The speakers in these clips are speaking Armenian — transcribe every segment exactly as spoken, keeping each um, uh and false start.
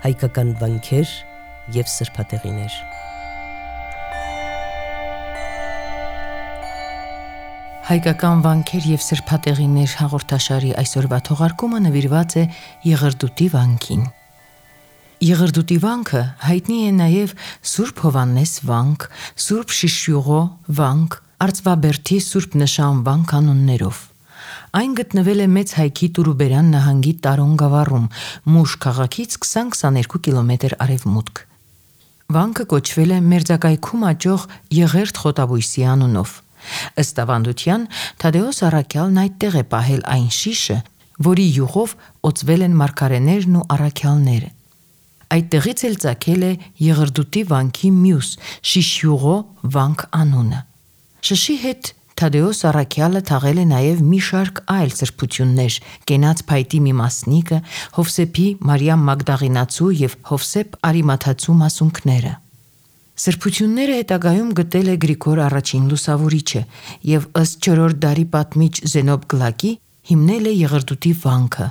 հայկական վանքեր և սրբատեղիներ։ Հայկական վանքեր և սրբատեղիներ հաղորդաշարի այսօրվա թողարկումը նվիրված է Եղրդուտի վանքին։ Եղրդուտի վանքը հայտնի է նաև Սուրբ Հովհաննես վանք, Սուրբ Շիշյուղո վանք, Արծվաբերդի Սուրբ Նշան վանք անուններով։ Այն գտնվել է Մեծ Հայքի Տուրուբերան նահանգի Տարոն գավառում, Մուշ քաղաքից քսան-քսաներկու կիլոմետր արևմուտք։ Վանքը կոչվել է մերձակայքում աճող Եղերդ խոտաբույսի անունով։ Ըստ ավանդության, Թադեոս առաքյալն այդտեղ է պահել այն շիշը, որի յուղով օծվել են մարգարեներն ու առաքյալները։ Այդտեղից էլ ծագել է Եղրդուտի վանքի մյուս Շիշյուղո վանք անունը։ Շշի հետ Թադեոս առաքյալը թաղել է նաև մի շարք այլ սրբություններ՝ Կենաց փայտի մի մասնիկը, Հովսեփի Մարիամ Մագդաղինացու և Հովսեփ Արիմաթացու մասունքները։ Սրբությունները հետագայում գտել է Գրիգոր առաջին Լուսավորիչը և ըստ չորրորդ դարի պատմիչ Զենոբ Գլակի հիմնել է Եղրդուտի վանքը,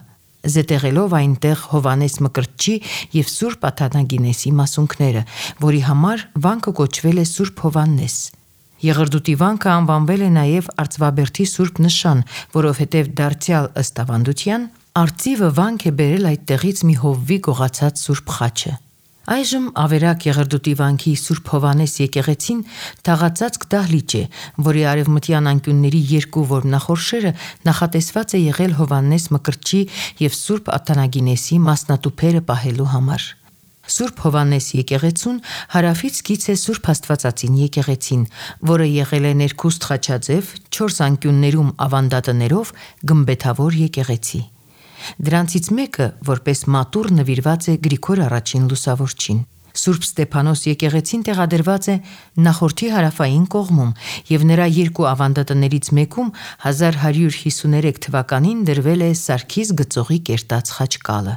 զետեղելով այնտեղ Հովհաննես Մկրտչի և Սուրբ Աթանագինեսի մասունքները, որի համար վանքը կոչվել է Սուրբ Հովհաննես։ Եղրդուտի վանքը անվանվել է նաև Արծվաբերդի Սուրբ Նշան, որովհետև դարձյալ ըստ ավանդության արծիվը վանք է բերել այդտեղից մի հովվի գողացած Սուրբ խաչը։ Այժմ ավերակ Եղրդուտի վանքի Սուրբ Հովհաննես եկեղեցին թաղածածկ դահլիճ է, որի արևմտյան անկյունների երկու որմնախորշերը նախատեսված է եղել Հովհաննես Մկրտչի և Սուրբ Աթանագինեսի մասնատուփերը պահելու համար։ Սուրբ Հովհաննես եկեղեցուն հարավից կից է Սուրբ Աստվածածին եկեղեցին, որը եղել է ներքուստ խաչաձև, չորս անկյուններում ավանդատներով գմբեթավոր եկեղեցի։ Դրանցից մեկը որպես մատուռ նվիրված է Գրիգոր առաջին Լուսավորչին։ Սուրբ Ստեփանոս եկեղեցին տեղադրված է նախորդի հարավային կողմում և նրա երկու ավանդատներից մեկում հազար հարյուր հիսուներեք թվականին դրվել է Սարգիս գծողի կերտած խաչկալը։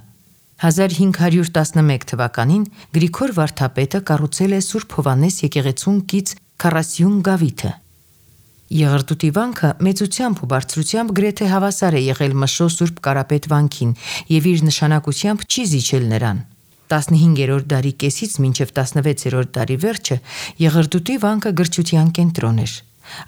հազար հինգ հարյուր տասնմեկ թվականին Գրիգոր վարդապետը կառուցել է Սուրբ Հովհաննես եկեղեցուն կից քառասյուն գավիթը։ Եղրդուտի վանքը մեծությամբ ու բարձրությամբ գրեթե հավասար է եղել Մշո Սուրբ Կարապետ վանքին և իր նշանակությամբ չի զիջել նրան։ տասնհինգերորդ դարի կեսից մինչև տասնվեցերորդ դարի վերջը Եղրդուտի վանքը գրչության կենտրոն էր։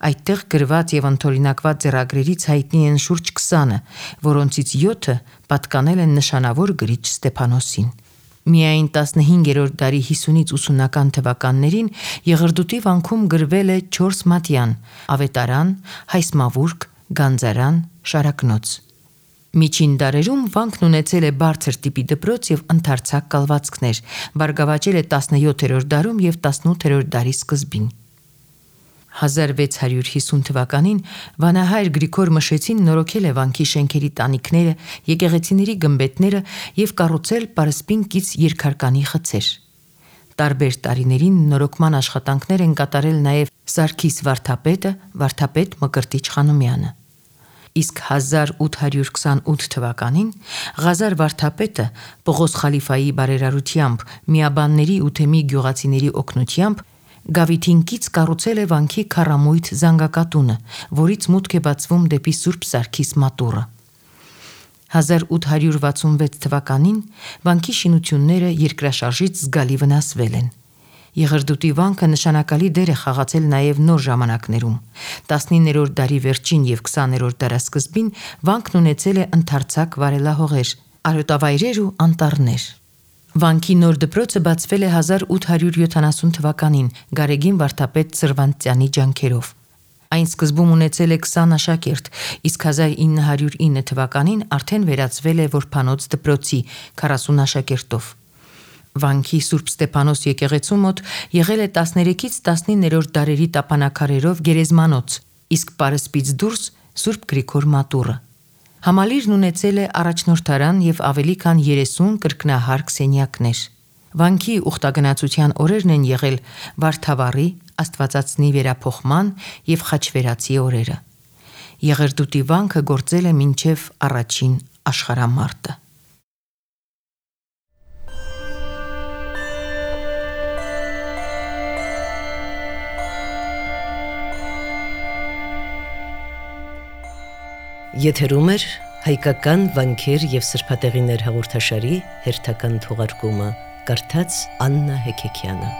Այդտեղ գրված և ընդօրինակված ձեռագրերից հայտնի են շուրջ քսանը, որոնցից յոթը պատկանել են նշանավոր գրիչ Ստեփանոսին։ Միայն տասնհինգերորդ դարի հիսունից ութսունական թվականներին Եղրդուտի վանքում գրվել է չորս մատյան՝ ավետարան, հայսմավուրք, գանձարան, շարակնոց։ Միջին դարերում վանքն ունեցել է բարձր տիպի դպրոց և ընդարձակ կալվածքներ, բարգավաճել է տասնյոթերորդ դարում և տասնութերորդ դարի սկզբին։ հազար վեց հարյուր հիսուն թվականին վանահայր Գրիգոր Մշեցին նորոգել է վանքի շենքերի տանիքները, եկեղեցիների գմբեթները և կառուցել պարսպին կից երկհարկանի խցեր։ Տարբեր տարիներին նորոգման աշխատանքներ են կատարել նաև Սարգիս վարդապետը, վարդապետ Մկրտիչ Խանոմյանը։ Իսկ հազար ութ հարյուր քսանութ թվականին Ղազար վարդապետը Պողոս խալիֆայի բարերարությամբ, միաբանների ու թեմի գյուղացիների օգնությամբ գավիթին կից կառուցել է վանքի քառամույթ զանգակատունը, որից մուտք է բացվում դեպի Սուրբ Սարգիս մատուռը։ հազար ութ հարյուր վաթսունվեց թվականին վանքի շինությունները երկրաշարժից զգալի վնասվել են։ Եղրդուտի վանքը նշանակալի դեր է խաղացել նաև նոր ժամանակներում։ տասնիններորդ դարի վերջին և քսաներորդ դարասկզբին վանքն ունեցել է ընդարձակ վարելահողեր, արոտավայրեր ու անտառներ։ Վանքի նոր դպրոցը բացվել է հազար ութ հարյուր յոթանասուն թվականին Գարեգին վարդապետ Սրվանտյանի ջանքերով։ Այն սկզբում ունեցել է քսան աշակերտ, իսկ հազար ինը հարյուր ինը թվականին արդեն վերածվել է որբանոց դպրոցի քառասուն աշակերտով։ Վանքի Սուրբ Ստեփանոս եկեղեցու մոտ եղել է տասներեքից տասնիններորդ դարերի տապանաքարերով գերեզմանոց, իսկ պարսպից դուրս Սուրբ Գրիգոր մատուռը։ Համալիրն ունեցել է առաջնորդարան և ավելի քան երեսուն կրկնահարկ սենյակներ։ Վանքի ուխտագնացության օրերն են եղել Վարդավառի, Աստվածածնի վերափոխման և Խաչվերացի օրերը։ Եղրդուտի վանքը գործել է մինչև առաջին աշխարհամարտը։ Եթերում է Հայկական վանքեր եւ սրբատեղիներ հաղորդաշարի հերթական թողարկումը կարդաց Աննա Հեկեքյանը։